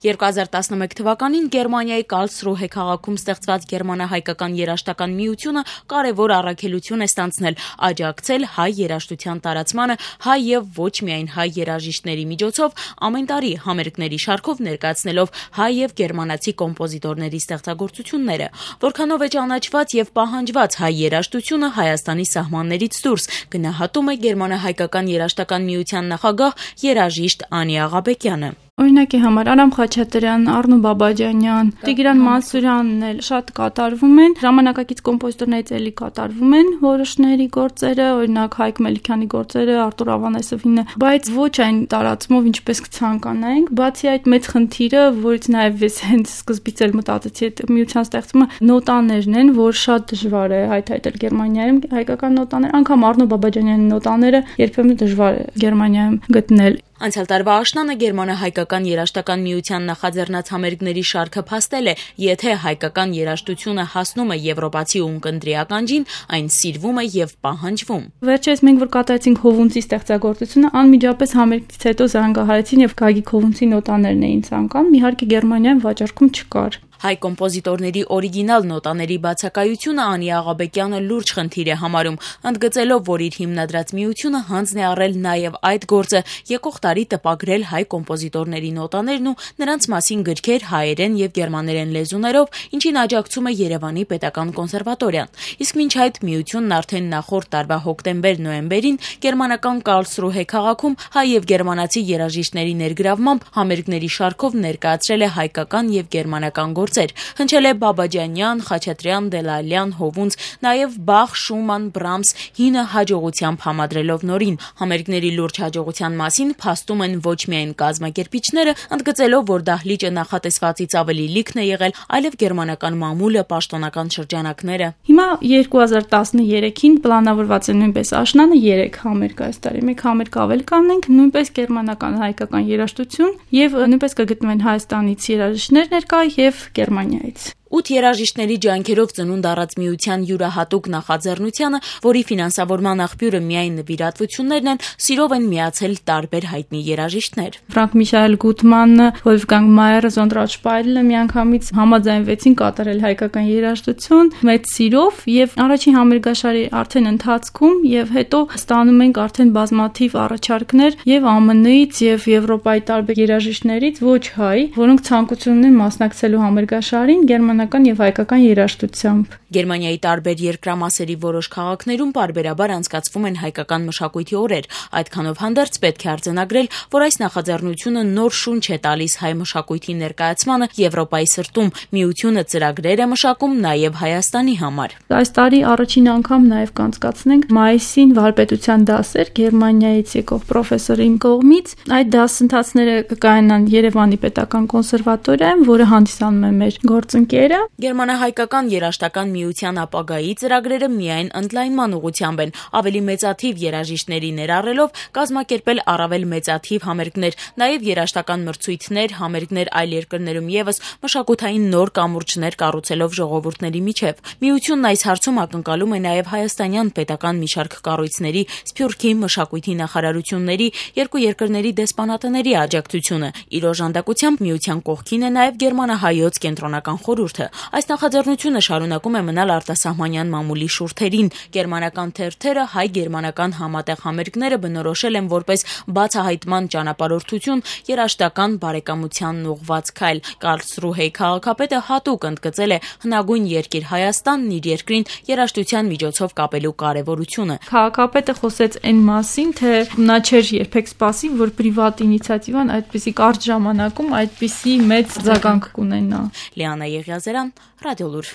2011 թվականին Գերմանիայի Կարլսրուհե քաղաքում ստեղծված Գերմանա-հայկական երաժշտական միությունը կարևոր առաքելություն է ստանձնել՝ աջակցել հայ երաժշտության տարածմանը հայ եւ ոչ միայն հայ երաժիշտների միջոցով ամեն տարի համերգների շարքով ներկայացնելով հայ եւ գերմանացի կոմպոզիտորների ստեղծագործությունները, որքանով է ճանաչված եւ պահանջված հայ երաժշտությունը Հայաստանի սահմաններից դուրս, գնահատում է Գերմանա-հայկական երաժշտական միության նախագահ երաժիշտ Անի Աղաբեկյանը։ Օրինակի համար Արամ Խաչատրյան, Արնո Բաբաջանյան, Տիգրան Մանսուրյանն էլ շատ կատարվում են, ժամանակակից կոմպոզիտորներից էլի կատարվում են որոշների գործերը, օրինակ Հայկ Մելիքյանի գործերը, Արտուր Ավանեսովինը, բայց ոչ այն տարածումով, ինչպես կցանկանայինք, բացի այդ մեծ խնդիրը, որից նաև ես հենց սկզբից էլ մտածեցի, այդ միության ստեղծումը նոտաներն են, որ շատ դժվար է հայտարարել Գերմանիայում հայկական նոտաներ, անգամ Արնո Բաբաջանյանի նոտաները երբեմն դժվար է Գերմանիայում գտնել։ Անցյալ տարվա աշնանը Գերմանա-հայկական երաժշտական միության նախաձեռնած համերգների շարքը փաստել է, եթե հայկական երաժշտությունը հասնում է եվրոպացի ունկնդրի ականջին, այն սիրվում է եւ պահանջվում։ Վերջերս մենք որ կատարեցինք Հովունցի ստեղծագործությունը, անմիջապես համերգից հետո զանգահարեցին եւ Գագիկ Հովունցի նոտաներն էին ցանկանում, իհարկե Գերմանիայում վաճառքում չկար։ Հայ կոմպոզիտորների օրիգինալ նոտաների բացակայությունը Անի Աղաբեկյանը լուրջ խնդիր է համարում, ընդգծելով, որ իր հիմնադրած միությունը հանձն է առել նաև այդ գործը, եկող տարի տպագրել հայ կոմպոզիտորների նոտաներն ու նրանց մասին գրքեր հայերեն եւ գերմաներեն լեզուներով, ինչին աջակցում է Երևանի պետական կոնսերվատորիան։ Իսկ մինչ այդ միությունն արդեն նախորդ տարվա հոկտեմբեր-նոյեմբերին գերմանական Կարլսրուհե քաղաքում հայ եւ գերմանացի երաժիշտների ներգրավմամբ համերգների շարքով ներկայացրել է հայկական եւ գերմանական գործեր, հնչել է Բաբաջանյան, Խաչատրյան, Դելալյան, Հովունց, նաև Բախ, Շուման, Բրամս, հինը հաջողությամբ համադրելով նորին։ Համերգների լուրջ հաջողության մասին փաստում են ոչ միայն կազմակերպիչները, ընդգծելով, որ դահլիճը նախատեսվածից ավելի լիքն է եղել, այլև գերմանական մամուլը, պաշտոնական շրջանակները։ Հիմա 2013-ին պլանավորված է նույնպես աշնանը 3 համերգ այս տարի։ Մեկ համերգ ավել կանենք, նույնպես գերմանական հայկական երաժշտություն եւ նույնպես կգտնվեն Հայաստանից երաժիշտներ ներկա եւ Գերմանիայից։ 8 երաժիշտների ջանքերով ծնունդ առած միության յուրահատուկ նախաձեռնությանը, որի ֆինանսավորման աղբյուրը միայն նվիրատվություններն են, սիրով են միացել տարբեր հայտնի երաժիշտներ։ Ֆրանկ Միշայել Գուտմանը, Վոլֆգանգ Մայերը, Զոնդրատ Շպայրելը միանգամից համաձայնվեցին կատարել հայկական երաժշտություն մեծ սիրով եւ առաջին համերգաշարի արդեն ընթացքում եւ հետո ստանում ենք արդեն բազմաթիվ առաջարկներ եւ ԱՄՆ-ից եւ Եվրոպայի տարբեր երաժիշտներից ոչ հայ, որոնք ցանկություն ունեն մասնակցելու համերգաշարին գերմանական եւ հայկական երաժշտությամբ։ Գերմանիայի տարբեր երկրամասերի որոշ քաղաքներում պարբերաբար անցկացվում են հայկական մշակույթի օրեր, այդքանով հանդերձ պետք է արձանագրել, որ այս նախաձեռնությունը նոր շունչ է տալիս հայ մշակույթի ներկայացմանը Եվրոպայի սրտում, միությունը ծրագրեր է մշակում նաեւ Հայաստանի համար։ Այս տարի առաջին անգամ նաեւ կանցկացնենք մայիսին վարպետության դասեր Գերմանիայից եկող պրոֆեսորի կողմից։ Այդ դասընթացները կկայանան Երևանի պետական կոնսերվատորիայում, որը հանդիսանում է մեր գործընկերը։ Գերմանա-հայկական երաժշտական միության ապագայի ծրագրերը միայն ընդլայնման ուղղությամբ են, ավելի մեծաթիվ երաժիշտների ներառելով կազմակերպել առավել մեծաթիվ համերգներ, նաև երաժշտական մրցույթներ, համերգներ այլ երկրներում եւս մշակութային նոր կամուրջներ կառուցելով ժողովուրդների միջև։ Միությունն այս հարցում ակնկալում է նաև հայաստանյան պետական մի շարք կառույցների, Սփյուռքի մշակույթի նախարարությունների, երկու երկրների դեսպանատների աջակցությունը։ Իր օժանդակությամբ միության կողքին է նաև Գերմանա-հայոց կենտրոնական խորհուրդը։ Այս նախաձեռնությունը շարունակում է մնալ արտասահմանյան մամուլի շուրթերին։ Գերմանական թերթերը հայ-գերմանական համատեղ համերգները բնորոշել են որպես բացահայտման ճանապարհորդություն, երաժշտական բարեկամությանն ուղղված քայլ։ Կարլսրուհեի քաղաքապետը հատուկ ընդգծել է հնագույն երկիր Հայաստանն իր երկրին երաժշտության միջոցով կապելու կարևորությունը։ Քաղաքապետը խոսեց այն մասին, թե նա չէր երբեք սպասի, որ պրիվատ ինիցիատիվան այդպիսի կարճ ժամանակում այդպիսի մեծ արձագանք կունենա։ Լիանա Եղիազարյան, Ռադիոլուր։